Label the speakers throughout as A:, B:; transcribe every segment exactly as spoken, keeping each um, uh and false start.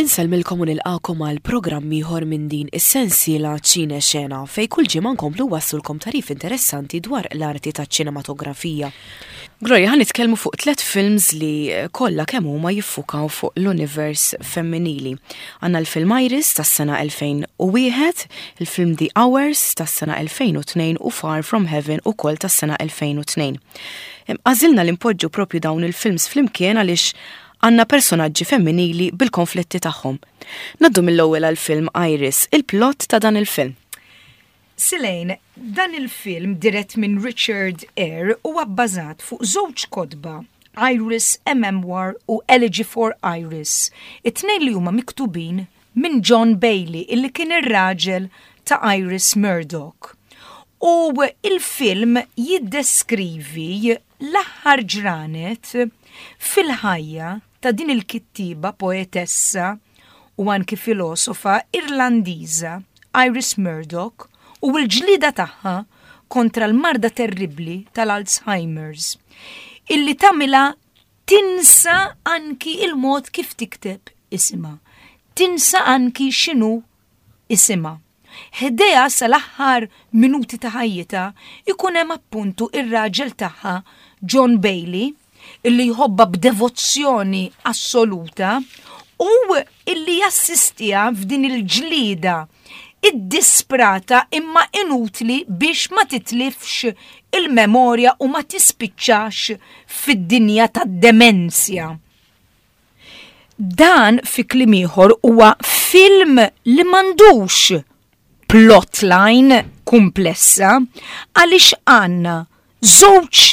A: Insellmilkom u nilqakom għal programm ieħor minn din is-sensiela Ċine Xena, fejn kull ġimgħa nkomplu nwasslulkom tagħrif interessanti dwar l-arti taċ-ċinematografija. Gloria, ħa nitkellmu fuq tliet films li kollha kemm huma jiffukaw fuq l-univers femminili. Għandna l-film Iris tas-sena elfejn u wieħed, il-film The Hours tas-sena elfejn u tnejn u Far From Heaven ukoll tas-sena elfejn u tnejn. Għażilna li npoġġu propju dawn il-films flimkien għaliex għandna personaġġi femminili bil-konflitti tagħhom. Ngħaddu mill-ewwel għal-film Iris, il-plot ta' dan il-film.
B: Silejn, dan il-film dirett minn Richard Eyre huwa bbażat fuq żewġ kotba, Iris, A Memoir u Elegy for Iris, it-tnejn li huma miktubin minn John Bailey, illi kien ir-raġel ta' Iris Murdoch. U il-film jiddeskrivi l-aħħar ġranet fil-ħajja ta' din il-kittiba, poetessa u anki filosofa Irlandiża Iris Murdoch u l-ġlida tagħha kontra l-marda terribli tal-Alzheimer's illi tagħmilha tinsa anki il-mod kif tikteb isimha, tinsa anki x'inhu isimha. Ħdejha sal-aħħar minuti ta' ħajjitha ikun hemm appuntu ir-raġel tagħha John Bailey, illi jħobba b'devozzjoni assoluta u illi jassistiha f'din il-ġlida id-disprata imma inutli biex ma titlifx il-memorja u ma tispiċċax fid-dinja tad-demenzja. Dan, fi kliem ieħor, huwa film li m'għandux plotline komplessa għaliex għandna żewġ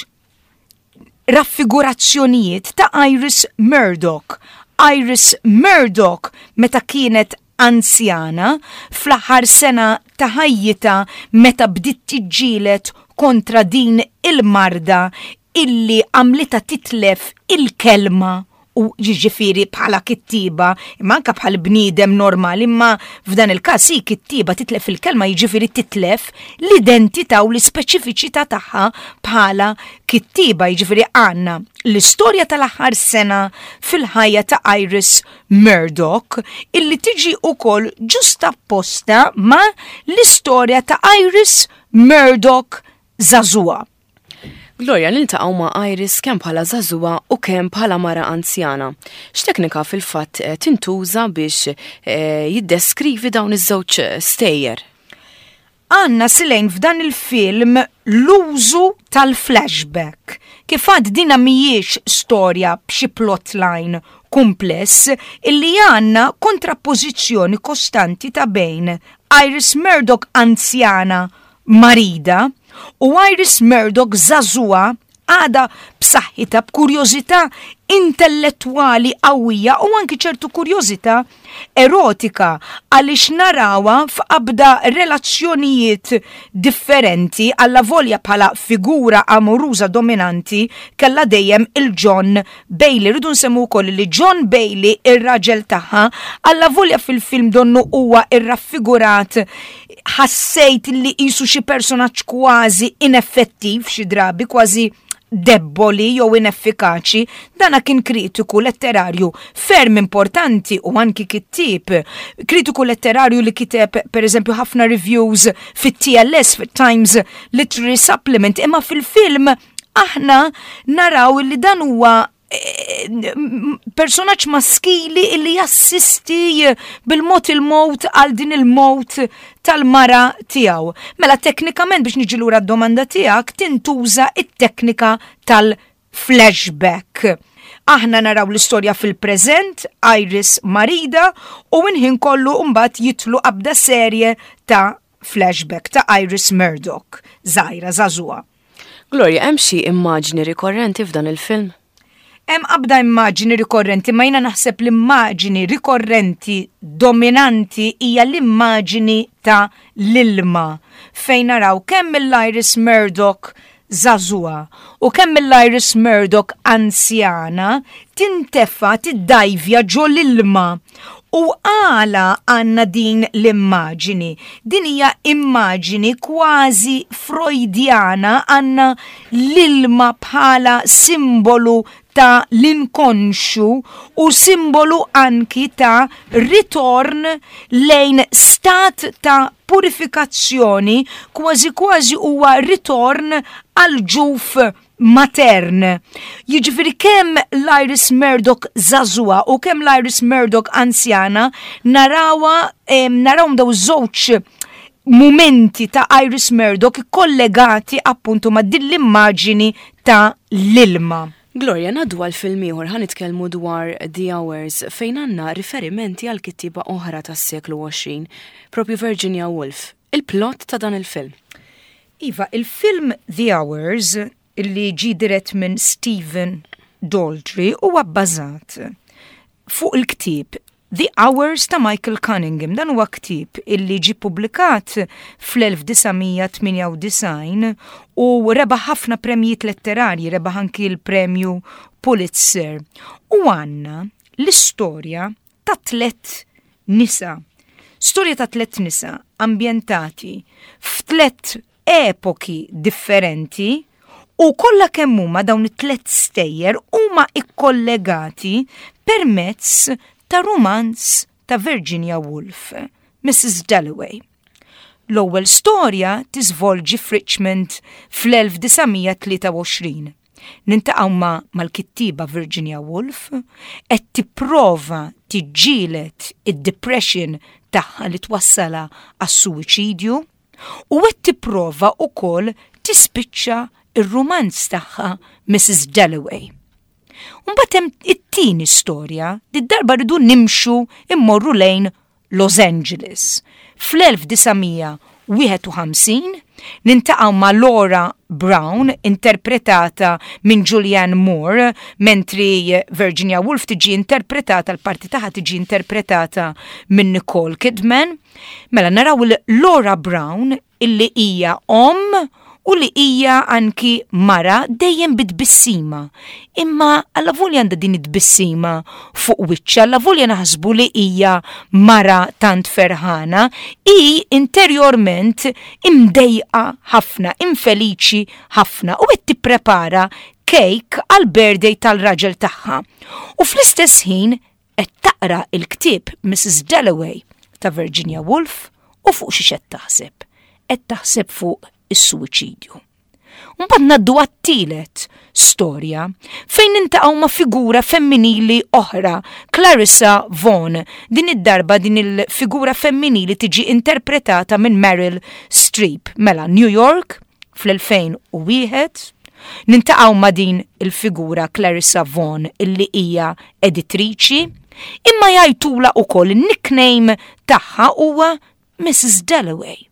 B: raffigurazzjonijiet ta' Iris Murdoch. Iris Murdoch meta kienet anzjana, fl-aħħar sena ta' ħajjitha, meta bdiet tiġġieled kontra din il-marda illi għamlitha titlef il-kelma, u ġifieri bħala kittiba, imma anka bħal bniedem normali, imma f'dan il-każ hi kittiba, titlef il-kelma jiġifieri titlef l-identità u l-ispeċifiċità tagħha bħala kittiba. Jiġifieri għandna l-istorja tal-aħħar sena fil-ħajja ta' Iris Murdoch illi tiġi ukoll ġuxtaposta ma' l-istorja ta' Iris Murdoch żagħżugħa.
A: Gloria, niltaqgħu ma' Iris kemm bħala żagħżugħa u kemm bħala mara anzjana. X'teknika fil-fatt eh, tintuża biex eh, jiddeskrivi dawn iż-żewġ stejjer?
B: Għandna, Silejn, f'dan il-film l-użu tal-flashback. Kif għedt, dina mhijiex storja b'xi plotline kumpless, illi għandna kontrappożizzjoni kostanti ta' bejn Iris Murdoch anzjana marida u Iris Murdoch żagħżugħa għada b'saħħitha, b'kurjożità intellettwali qawwija u anki ċertu kurjożità erotika, għaliex narawha f'qabda relazzjonijiet differenti, allavolja bħala figura amoruża dominanti kella dejjem il-John Bailey. Rridu nsemmu wkoll li John Bailey, ir-raġel tagħha, allavolja fil-film donnu huwa irraffigurat, ħassejt li qisu xi personaġġ kważi ineffettiv xi drabi, kważi debboli jew ineffikaċi, dana kien kritiku letterarju ferm importanti u anki kittib. Kritiku letterarju li kiteb, per eżempju, ħafna reviews fit-T L S, fit-Times Literary Supplement, imma fil-film aħna naraw li dan huwa eh, personaġġ maskili illi jassisti bil-mod il-mod għal din il-mod tal-mara tiegħu. Mela teknikament, biex niġi lura d-domanda tiegħek, tintuża it-teknika tal-flashback. Aħna naraw l-istorja fil-preżent, Iris marida, u inħin kollu mbagħad jidħlu qabda serje ta' flashback ta' Iris Murdoch, żgħira, żagħżugħa.
A: Gloria, hemm xi immaġni rikorrenti f'dan il-film?
B: Hemm qabda immaġni rikorrenti, ma jiena naħseb l-immaġni rikorrenti dominanti hija l-immaġni ta' l-ilma, fejn naraw kemm il-Iris Murdoch żagħżugħa u kemm il-Iris Murdoch anzjana tintefa, tiddajvja ġo l-ilma. U għala għandna din l-immaġini? Din hija immaġini kważi freudjana, għandna l-ilma bħala simbolu ta' l-inkonxu u simbolu anki ta' ritorn lejn stat ta' purifikazzjoni, kważi kważi huwa ritorn għal ġuf matern. Jiġifieri kemm l-Iris Murdoch żagħżugħa u kemm l-Iris Murdoch anzjana narawha narawhom daw żewġ momenti ta' Iris Murdoch kollegati appuntu ma' din l-immaġini ta' l-ilma.
A: Gloria, ngħaddu għal film ieħor, ħa nitkellmu dwar The Hours, fejn għandna riferimenti għal kittiba oħra tas-seklu għoxrin, propju Virginia Woolf. Il-plot ta' dan il-film.
B: Iva, il-film The Hours, illi ġi dirett minn Stephen Daldry, huwa bbażat fuq il-ktieb The Hours ta' Michael Cunningham. Dan huwa ktieb illi ġi publikat fl-elf disa' mija tmienja u disgħin u rebaħ ħafna premjiet letterarji, rebaħ anki l-premju Pulitzer. U għandna l-istorja ta' tlet nisa. Storja ta' tlet nisa ambjentati f'tlet epoki differenti u kollha kemm huma dawn it-tlet stejjer huma ikkollegati permezz ta' rumanz ta' Virginia Woolf, Missus Dalloway. L-ewwel storja tiżvolġi f'Richmond fl-elf disa' mija tlieta u għoxrin. Niltaqgħu ma' mal-kittiba Virginia Woolf qed tipprova tiġġieled id-depression tagħha li twassala għas-suwiċidju u qed tipprova wkoll tispiċċa ir-rumanz tagħha Missus Dalloway. Mbagħad hemm it-tieni storja, did-darba rridu nimxu immorru lejn Los Angeles. Fl-elf disa' mija wieħed u ħamsin niltaqgħu ma' Laura Brown, interpretata minn Julianne Moore, mentri Virginia Woolf tiġi interpretata, l-parti tagħha tiġi interpretata minn Nicole Kidman. Mela naraw Laura Brown illi hija om u li hija anki mara dejjem bit-tbissima. Imma allavolja għandha din it-tbissima fuq wiċċha, allavolja naħsbu li hija mara tant ferħana, hi interjorment imdejqa ħafna, infeliċi ħafna u qed tipprepara cake għal birthday tal-raġel tagħha. U fl-istess ħin qed taqra il-ktieb Missus Dalloway ta' Virginia Woolf u fuq xi qed taħseb. Qed taħseb fuq is-suwiċidju. Mbagħad ngħaddu għat-tielet storja fejn niltaqgħu ma' figura femminili oħra, Clarissa Vaughan. Din id-darba din il-figura femminili tiġi interpretata minn Meryl Streep. Mela New York fl-elfejn u wieħed, niltaqgħu ma' din il-figura Clarissa Vaughan illi hija editriċi, imma jgħidulha ukoll il-nickname tagħha huwa Missus Dalloway.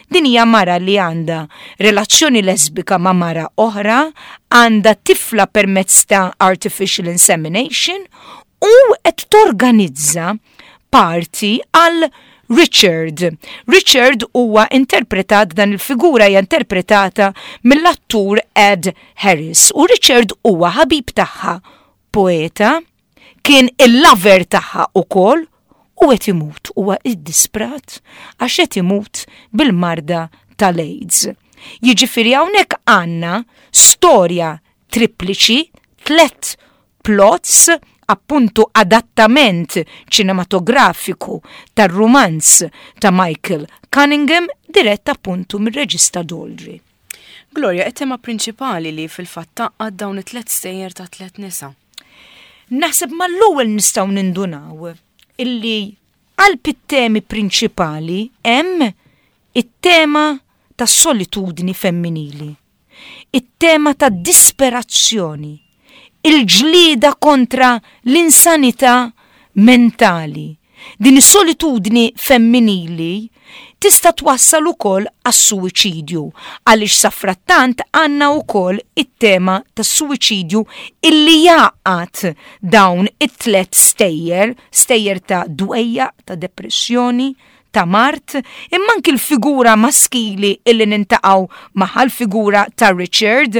B: Din hija mara li għandha relazzjoni lesbika ma' mara oħra, għandha tifla permezz ta' artificial insemination u qed torganizza party għal Richard. Richard huwa interpretat, dan il-figura hija interpretata mill-attur Ed Harris, u Richard huwa ħabib tagħha, poeta, kien il-lover tagħha ukoll u qed imut, huwa iddisprat għax qed imut bil-marda tal-AIDS. Jiġifieri hawnhekk għandna storja tripliċi, tlet plots, appuntu adattament ċinematografiku tar-rumanz ta' Michael Cunningham, dirett appuntu mir-reġista Daldry.
A: Gloria, it-tema prinċipali li fil-fatt tgħaqqad dawn it-tlet stejjer ta' tlet nisa.
B: Naħseb mal-ewwel nistgħu nindunaw illi qalb it-temi prinċipali hemm it-tema tas solitudni femminili, it-tema ta' disperazzjoni, il-ġlida kontra l-insanità mentali. Din is-solitudni femminili tista' twassal ukoll għas-suwiċidju, għaliex safrattant għandna wkoll it-tema tas-suwiċidju illi jgħaqqad dawn it-tlet stejjer, stejjer ta' dwejja, ta' depressjoni, ta' mard, imma anki l-figura maskili illi niltaqgħu magħha, l-figura ta' Richard,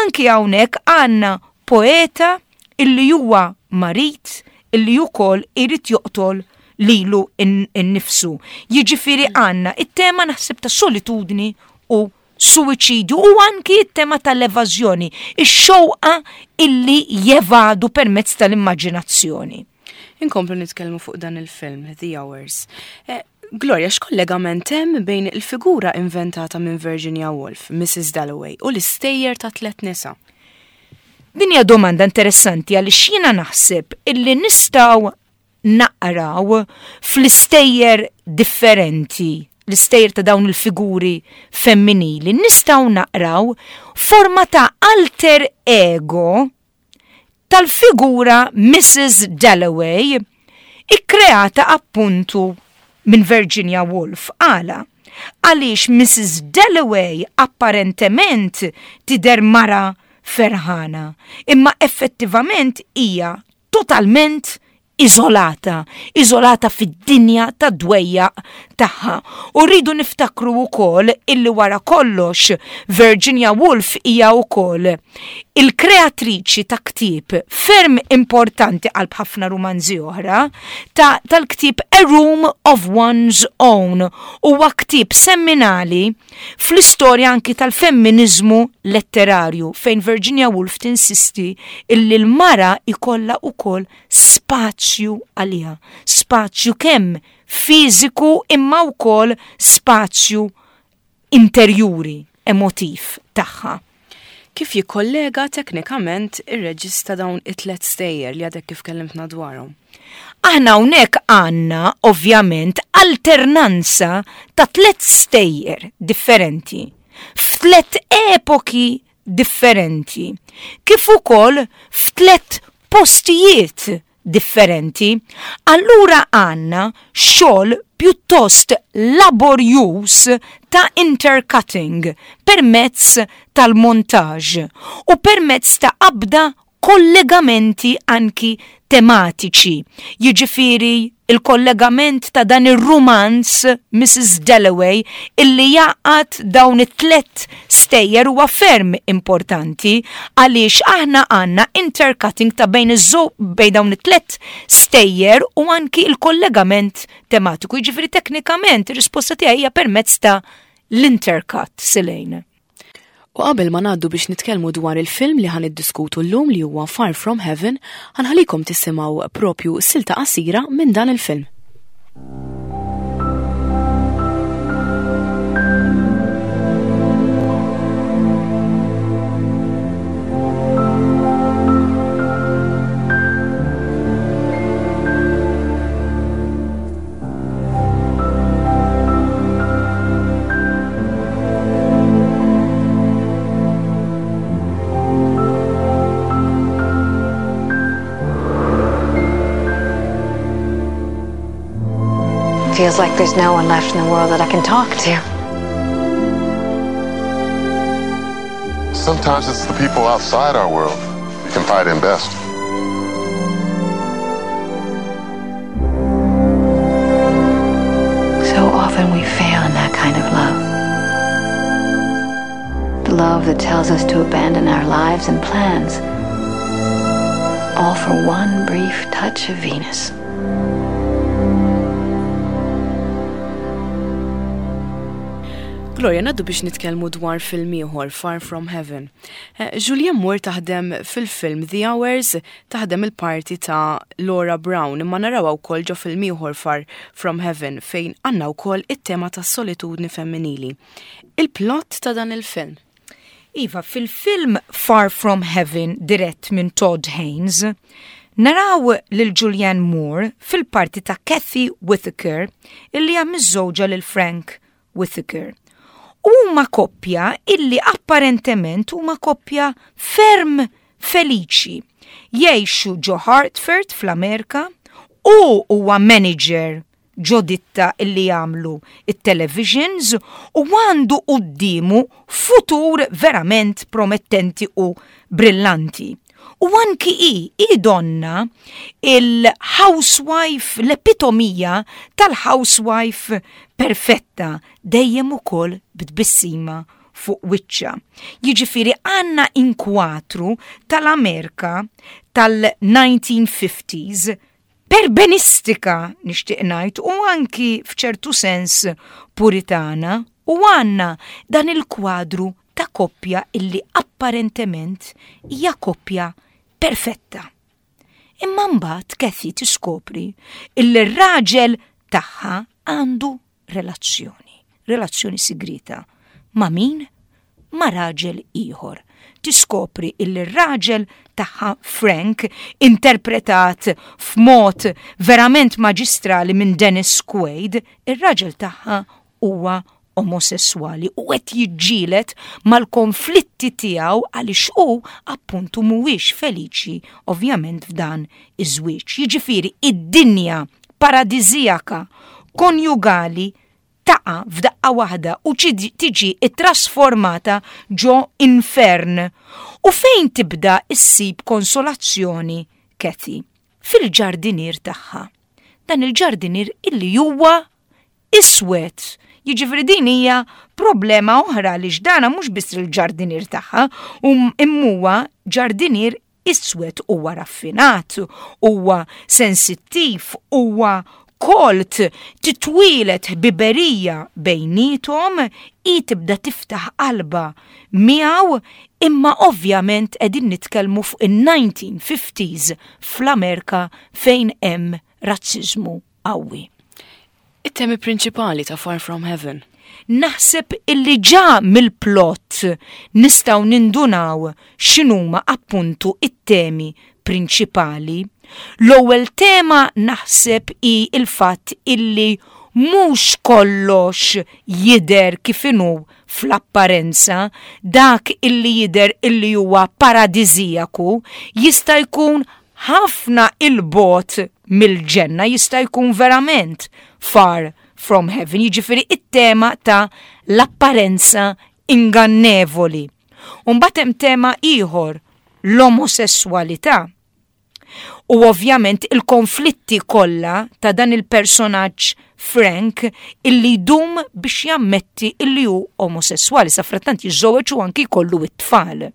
B: anki hawnhekk għandna poeta illi huwa marid illi ukoll irid joqtol lilu innifsu. Jiġifieri għandna it-tema naħseb ta' solitudni u tas-suwiċidju u anki t-tema tal-evażjoni, ix-xewqa illi jevadu permezz tal-immaġinazzjoni.
A: Inkomplu nitkellmu fuq dan il-film, The Hours. Eh, Gloria, x'kollegament hemm bejn il-figura inventata minn Virginia Woolf, Missus Dalloway, u l-istejjer ta' tliet nisa?
B: Din hija domanda interessanti għaliex jiena naħseb illi nistgħu naqraw fl-istejjer differenti, l-istejjer ta' dawn il-figuri femminili, nistgħu naqraw forma ta' alter ego tal-figura Missus Dalloway ikkreata appuntu minn Virginia Woolf. Għala? Għaliex Missus Dalloway apparentement tidher mara ferħana, imma effettivament hija totalment iżolata, iżolata fid-dinja ta' dwejjaq tagħha. U rridu niftakru wkoll illi wara kollox Virginia Woolf hija wkoll il-kreatriċi ta' ktieb ferm importanti qalb ħafna rumanzi oħra, ta' tal-ktieb A Room of One's Own. Huwa ktieb seminali fl-istorja anki tal-femminizmu letterarju, fejn Virginia Woolf tinsisti illi l-mara ikollha wkoll spazju għaliha, spazju kemm fiżiku imma wkoll spazju interjuri, emotiv tagħha.
A: Kif jikkollega teknikament ir-reġista dawn it-tliet stejjer li għadek kif kellimtna dwarhom?
B: Aħna hawnhekk għandna ovvjament alternanza ta' tliet stejjer differenti, f'tliet epoki differenti, kif ukoll f'tliet postijiet differenti. Allura għandna xogħol pjuttost laborjuż ta' intercutting permezz tal-montaġġ u permezz ta' qabda kollegamenti anki tematiċi. Jiġifieri il-kollegament ta' dan ir-rumanz Missus Dalloway illi jaqgħad dawn it-tliet stejjer huwa ferm importanti għaliex aħna għandna intercutting ta' bejn iż-żew-, bejn dawn it-tliet stejjer u anki il-kollegament tematiku. Jiġifieri teknikament ir-risposta tiegħi hija permezz ta' l-intercut, Silejn.
A: U qabel ma ngħaddu biex nitkellmu dwar il-film li ħan iddiskutu llum li huwa Far From Heaven, ħanħallikom tisimgħu propju silta qasira minn dan il-film.
C: Feels like there's no one left in the world that I can talk to.
D: Sometimes it's the people outside our world we confide in best.
C: So often we fail in that kind of love. The love that tells us to abandon our lives and plans, all for one brief touch of Venus.
A: Gloria, ngħaddu biex nitkellmu dwar film ieħor, Far From Heaven. Eh, Julianne Moore taħdem fil-film The Hours, taħdem il-parti ta' Laura Brown, imma narawha wkoll ġo film ieħor Far From Heaven fejn għandna wkoll it-tema tas-solitudni femminili. Il-plot ta' dan il-film.
B: Iva, fil-film Far From Heaven dirett minn Todd Haynes, naraw lil Julianne Moore fil-parti ta' Kathy Whittaker illi hija miżżewġa lil Frank Whittaker. Huma koppja illi apparentement huma koppja ferm feliċi. Jgħixu ġo Hartford fl-Amerika u huwa manager ġo ditta illi jagħmlu it-televisions u għandu quddiemu futur verament promettenti u brillanti. U anki hi, hi donna il-housewife, l-epitomija tal-housewife perfetta, dejjem ukoll b'tbissima fuq wiċċha. Jiġifieri għandna inkwatru tal-Amerika tal-nineteen fifties perbenistika nixtieq ngħid u anki f'ċertu sens puritana U għandna dan il-kwadru ta' koppja illi apparentement hija koppja perfetta. Imma mbagħad Kathy tiskopri illi r-raġel tagħha għandu relazzjoni, relazzjoni sigrita. Ma' min? Ma' raġel ieħor. Tiskopri illi r-raġel tagħha Frank, interpretat f'mod verament maġistrali minn Dennis Quaid, ir-raġel tagħha huwa omosessuali u qed jiġġieled mal-konflitti tiegħu għaliex hu appuntu mhuwiex feliċi ovvjament f'dan iż-żwieġ. Jiġifieri id-dinja paradisijaka konjugali taqa' f'daqqa waħda u tiġi trasformata ġo infern. U fejn tibda issib konsolazzjoni Kathy? Fil-ġardinier tagħha. Dan il-ġardinier illi huwa iswed. Jiġifieri din hija problema oħra li x'dana mhux biss il-ġardinier tagħha, imma huwa ġardinier iswed, huwa raffinat, huwa sensittiv, huwa kolt, titwieled ħbiberija bejniethom, i tibda tiftaħ qalba miegħu, imma ovvjament qegħdin nitkellmu fuq in-nineteen fifties fl-Amerika fejn hemm razziżmu qawwi.
A: It-temi prinċipali ta' Far From Heaven.
B: Naħseb illi ġa mill-plot nistgħu nindunaw x'inhuma appuntu it-temi prinċipali. L-ewwel tema naħseb hi il-fatt illi mhux kollox jidher kif inhu fl-apparenza, dak illi jidher illi huwa paradisijaku jista' jkun ħafna il-bogħod mill-ġenna, jista' jkun verament far from heaven, jiġifieri it-tema ta' l-apparenza ingannevoli. Mbagħad hemm tema ieħor, l-omosessualità. U ovvjament il-konflitti kollha ta' dan il-personaġġ Frank illi jdum biex jammetti illi hu omosessuali, sa frattant jiżżewweġ u anki jkollu it-tfal.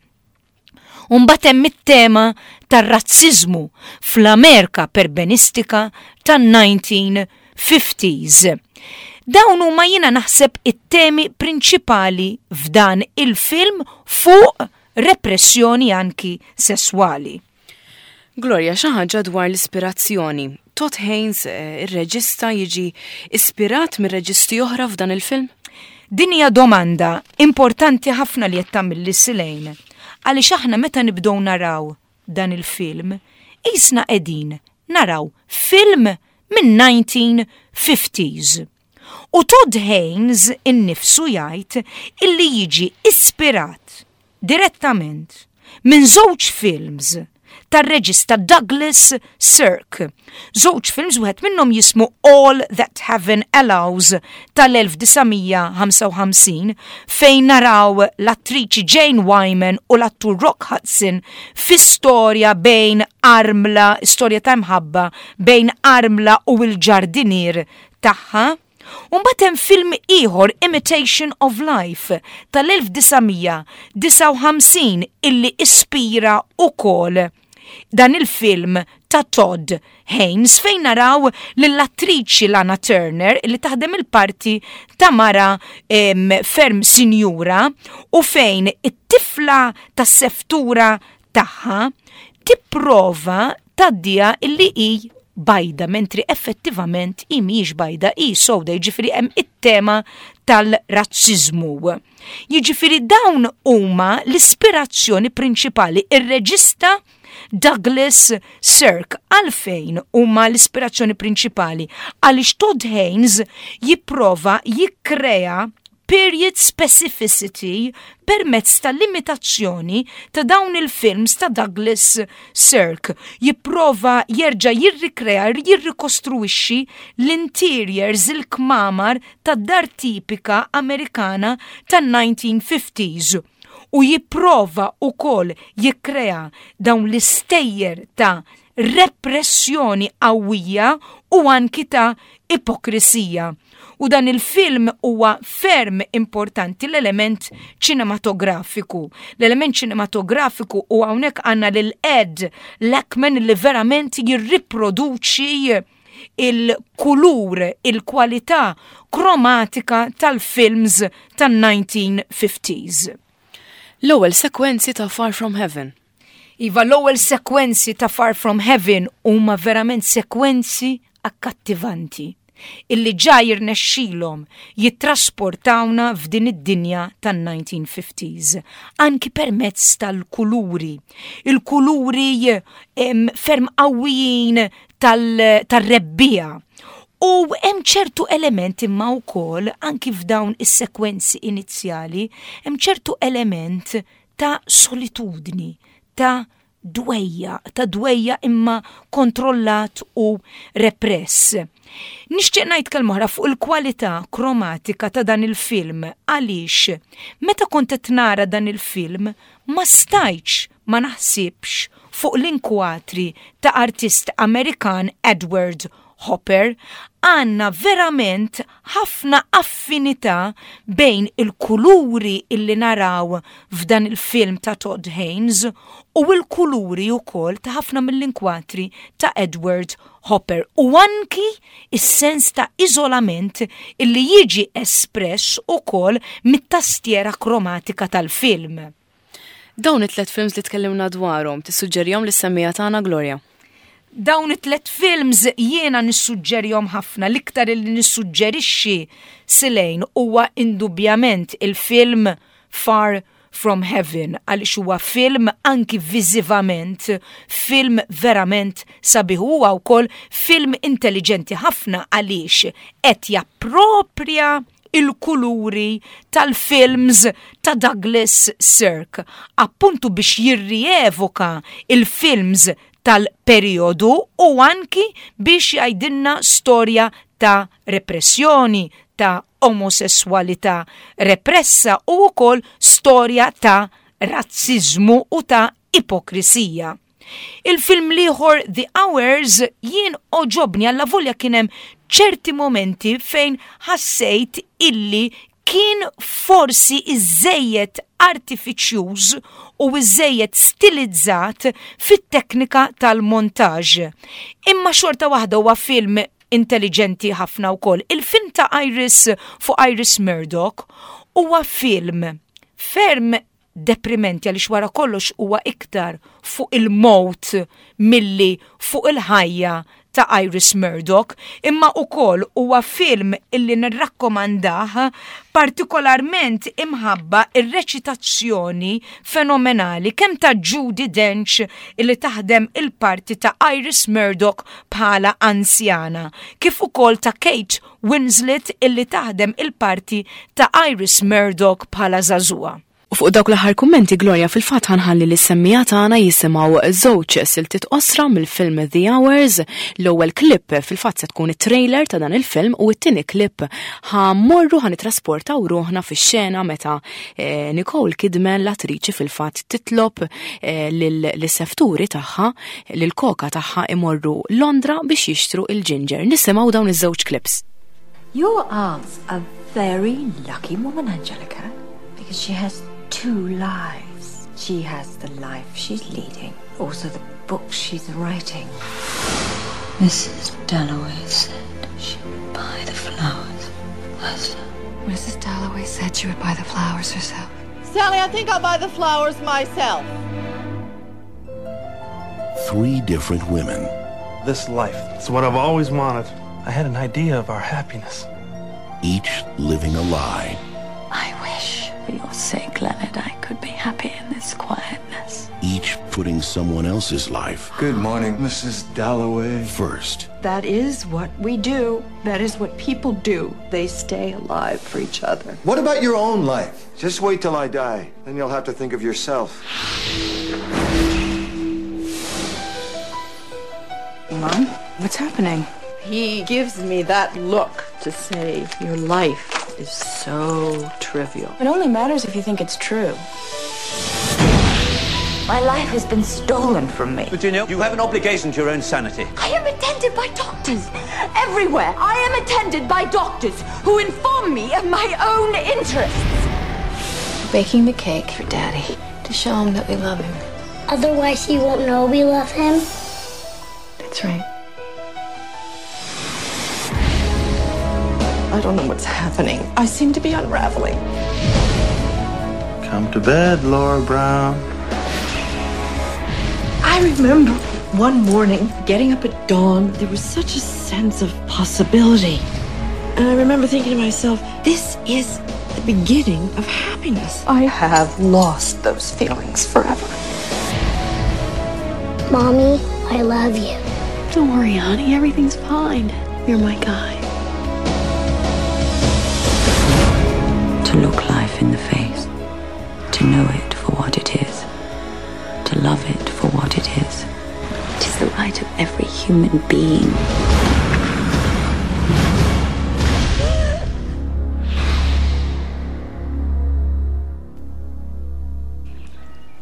B: Mbagħad hemm it-tema tar-razziżmu fl-Amerika perbenistika tan-nineteen fifties. Dawn huma, jiena naħseb, it-temi prinċipali f'dan il-film fuq repressjoni anki sesswali.
A: Gloria, xi ħaġa dwar l-ispirazzjoni. Todd Haynes, eh, ir-reġista, jiġi ispirat minn reġisti oħra f'dan il-film?
B: Din hija domanda importanti ħafna li qed tagħmilli, Silejn. Għaliex aħna meta nibdew naraw dan il-film, qisna qegħdin naraw film minn nineteen fifties. U Todd Haynes innifsu jgħid illi jiġi ispirat direttament minn żewġ films tar-reġista Douglas Sirk. Żewġ films, wieħed minnhom jismu All That Heaven Allows tal-elf disa' mija ħamsa u ħamsin, fejn naraw l-attriċi Jane Wyman u l-attur Rock Hudson fi storja bejn armla, storja ta' mħabba bejn armla u l-ġardinier tagħha. Mbagħad hemm film ieħor, Imitation of Life tal-elf disa' mija disgħa u ħamsin, illi ispira ukoll dan il-film ta' Todd Haynes, fejn naraw lill-attriċi Lana Turner li taħdem il-parti ta' mara em, ferm sinjura u fejn it-tifla tas-seftura tagħha tipprova tgħaddiha illi hi bajda, mentri effettivament hi mhijiex bajda, hi sowda, jiġifieri hemm it-tema tal-razziżmu. Jiġifieri dawn huma l-ispirazzjoni prinċipali, ir-reġista Douglas Sirk. Għalfejn huma l-ispirazzjoni prinċipali? Għaliex Todd Haynes jipprova jikkrea period specificity permezz tal-imitazzjoni ta' dawn il-films ta' Douglas Sirk. Jipprova jerġa' jirrikrea, jirrikostruixxi l-interiors, il-kmamar ta' dar tipika Amerikana tan-nineteen fifties u jipprova ukoll jikkrea dawn l-istejjer ta' repressjoni qawwija u anki ta' ipokrisija. U dan il-film huwa ferm importanti, l-element ċinematografiku. L-element ċinematografiku, u hawnhekk għandna lil Ed Lachman li verament jirriproduċi Il-kulur, il-kwalità kromatika tal-films tan-nineteen fifties.
A: L-ewwel sekwenzi ta' Far From Heaven.
B: Iva, l-ewwel sekwenzi ta' Far From Heaven huma verament sekwenzi akkattivanti illi ġa jirnexxilhom jittrasportawna f'din id-dinja tan-nineteen fifties, anki permezz tal-kuluri. Il-kuluri em, ferm qawwijin tal-rebbiegħa. U hemm ċertu element imma wkoll anki f'dawn is-sekwenzi inizjali, hemm ċertu element ta' solitudni, ta' dwejjaq, ta' dwejjaq imma kontrollat u repress. Nixtieq ngħid kelma oħra fuq il-kwalità kromatika ta' dan il-film, għaliex meta kont qed nara dan il-film ma stajtx ma naħsibx fuq l-inkwatri ta' artist Amerikan Edward Hopper. Għandna verament ħafna affinità bejn il-kuluri illi naraw f'dan il-film ta' Todd Haynes u il-kuluri wkoll ta' ħafna mill-inkwatri ta' Edward Hopper u anki is-sens ta' iżolament illi jiġi espress ukoll mit-tastiera kromatika tal-film.
A: Dawn it-tlet films li tkellimna dwarhom, tissuġġerihom lis-semmiegħa tagħna, Gloria?
B: Dawn it-tlet films jiena nissuġġerihom ħafna. L-iktar li nissuġġerixxi, Silejn, huwa indubjament il-film Far From Heaven, għaliex huwa film anki viżivament, film verament sabiħ. Huwa wkoll film intelligenti ħafna għaliex qed jappropria il-kuluri tal-films ta' Douglas Sirk, appuntu biex jirrievoka il-films tal-periodu u anki biex jgħidilna storja ta' repressjoni, ta' omosessualità repressa u wkoll storja ta' razzizmu u ta' ipokrisija. Il-film l-ieħor, The Hours, jien għoġobni għallavolja kien hemm ċerti momenti fejn ħassejt illi kien forsi iżejjed artifiċjuż u iżejjed stilizzat fit-teknika tal-montaġ. Imma xorta waħda huwa film intelligenti ħafna wkoll. Il-film ta' Iris, fuq Iris Murdoch, huwa film ferm deprimenti għaliex wara kollox huwa iktar fuq il-mot milli fuq il-ħajja ta' Iris Murdoch, imma ukoll huwa film illi nirrakkomandah, partikolarment imħabba ir-reċitazzjoni fenomenali kemm ta' Judi Dench, illi taħdem il-parti ta' Iris Murdoch bħala anzjana, kif ukoll ta' Kate Winslet, illi taħdem il-parti ta' Iris Murdoch bħala żagħżugħa.
A: U fuq dawk l-aħħar kummenti, Gloria, fil-fatt ħa nħalli lis-semmiegħa tagħna jisimgħu żewġ siltiet qosra mill-film The Hours. L-ewwel clip fil-fatt se tkun it-trailer ta' dan il-film u t-tieni clip ħa mmorru, ħa nitrasportaw ruħna fix-xena meta eh, Nicole Kidman, l-attriċi, fil-fatt titlob eh, lis-sefturi tagħha, lil-koka tagħha, imorru Londra biex jixtru il-ginger. Nisimgħu dawn iż-żewġ clips.
C: Your aunt's a very lucky woman, Angelica, because she has two lives. She has the life she's leading, also the book she's writing.
E: Missus Dalloway said she would buy the flowers herself.
C: Missus Dalloway said she would buy the flowers herself.
F: Sally, I think I'll buy the flowers myself.
G: Three different women.
H: This life, it's what I've always wanted. I had an idea of our happiness.
G: Each living a lie.
C: I wish, for your sake, Leonard, I could be happy in this quietness.
G: Each putting someone else's life
I: Good morning, Missus Dalloway.
G: First.
J: That is what we do. That is what people do. They stay alive for each other.
I: What about your own life? Just wait till I die. Then you'll have to think of yourself.
J: Mom, what's happening? He gives me that look to say, "Your life is so trivial."
K: It only matters if you think it's true.
C: My life has been stolen from me.
L: Virginia, you have an obligation to your own sanity.
C: I am attended by doctors everywhere. I am attended by doctors who inform me of my own interests. Baking the cake for Daddy to show him that we love him.
M: Otherwise, he won't know we love him.
C: That's right.
J: I don't know what's happening. I seem to be unraveling.
H: Come to bed, Laura Brown.
J: I remember one morning getting up at dawn, there was such a sense of possibility. And I remember thinking to myself, this is the beginning of happiness. I have lost those feelings forever.
M: Mommy, I love you.
K: Don't worry, honey, everything's fine. You're my guy.
E: To look life in the face, to know it for what it is, to love it for what it is. It is the right of every human being.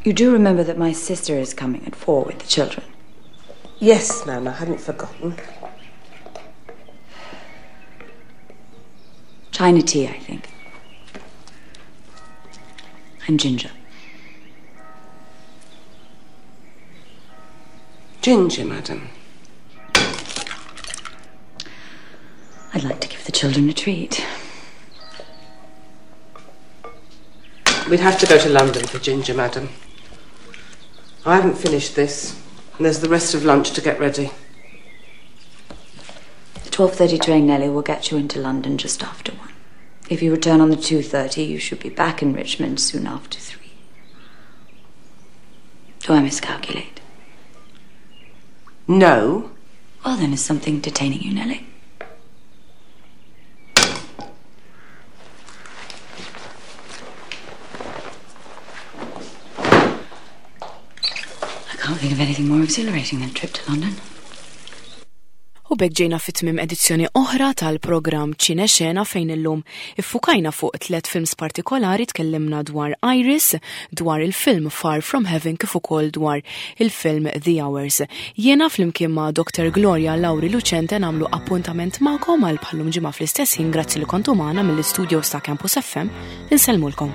E: You do remember that my sister is coming at four with the children?
N: Yes, ma'am, I hadn't forgotten.
E: China tea, I think. And ginger.
N: Ginger, madam.
E: I'd like to give the children a treat.
N: We'd have to go to London for ginger, madam. I haven't finished this, and there's the rest of lunch to get ready.
E: The twelve thirty train, Nellie, will get you into London just after one. If you return on the two thirty, you should be back in Richmond soon after three. Do I miscalculate?
N: No.
E: Well, then, is something detaining you, Nellie? I can't think of anything more exhilarating than a trip to London.
A: U b'hekk ġejna fi tmiem edizzjoni oħra tal-programm Ċine Xena fejn illum iffukajna fuq tliet films partikolari, tkellimna dwar Iris, dwar il-film Far From Heaven kif ukoll dwar il-film The Hours. Jiena flimkien ma' Doctor Gloria Lauri Lucente nagħmlu appuntament magħkom għal bħal-lum ġimgħa fl-istess ħin. Grazzi li kontu magħna mill-istudios ta' Campus F M. Insellmulkom.